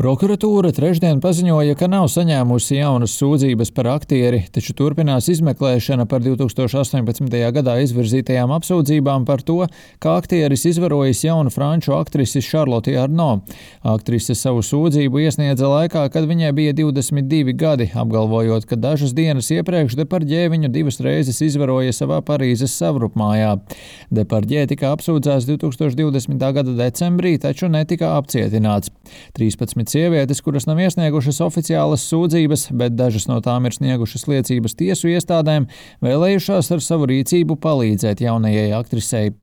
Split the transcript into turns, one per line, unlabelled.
Prokuratūra trešdien paziņoja, ka nav saņēmusi jaunas sūdzības par aktieri, taču turpinās izmeklēšana par 2018. gadā izvirzītajām apsūdzībām par to, ka aktieris izvarojis jaunu franču aktrisi Charlotte Arnaud. Aktrise savu sūdzību iesniedza laikā, kad viņai bija 22 gadi, apgalvojot, ka dažas dienas iepriekš Depardieu viņu 2 reizes izvaroja savā Parīzes savrupmājā. Depardieu tika apsūdzēts 2020. gada decembrī, taču netika apcietināts. 13 sievietes, kuras nav iesniegušas oficiālas sūdzības, bet dažas no tām ir sniegušas liecības tiesu iestādēm, vēlējušās ar savu rīcību palīdzēt jaunajai aktrisei.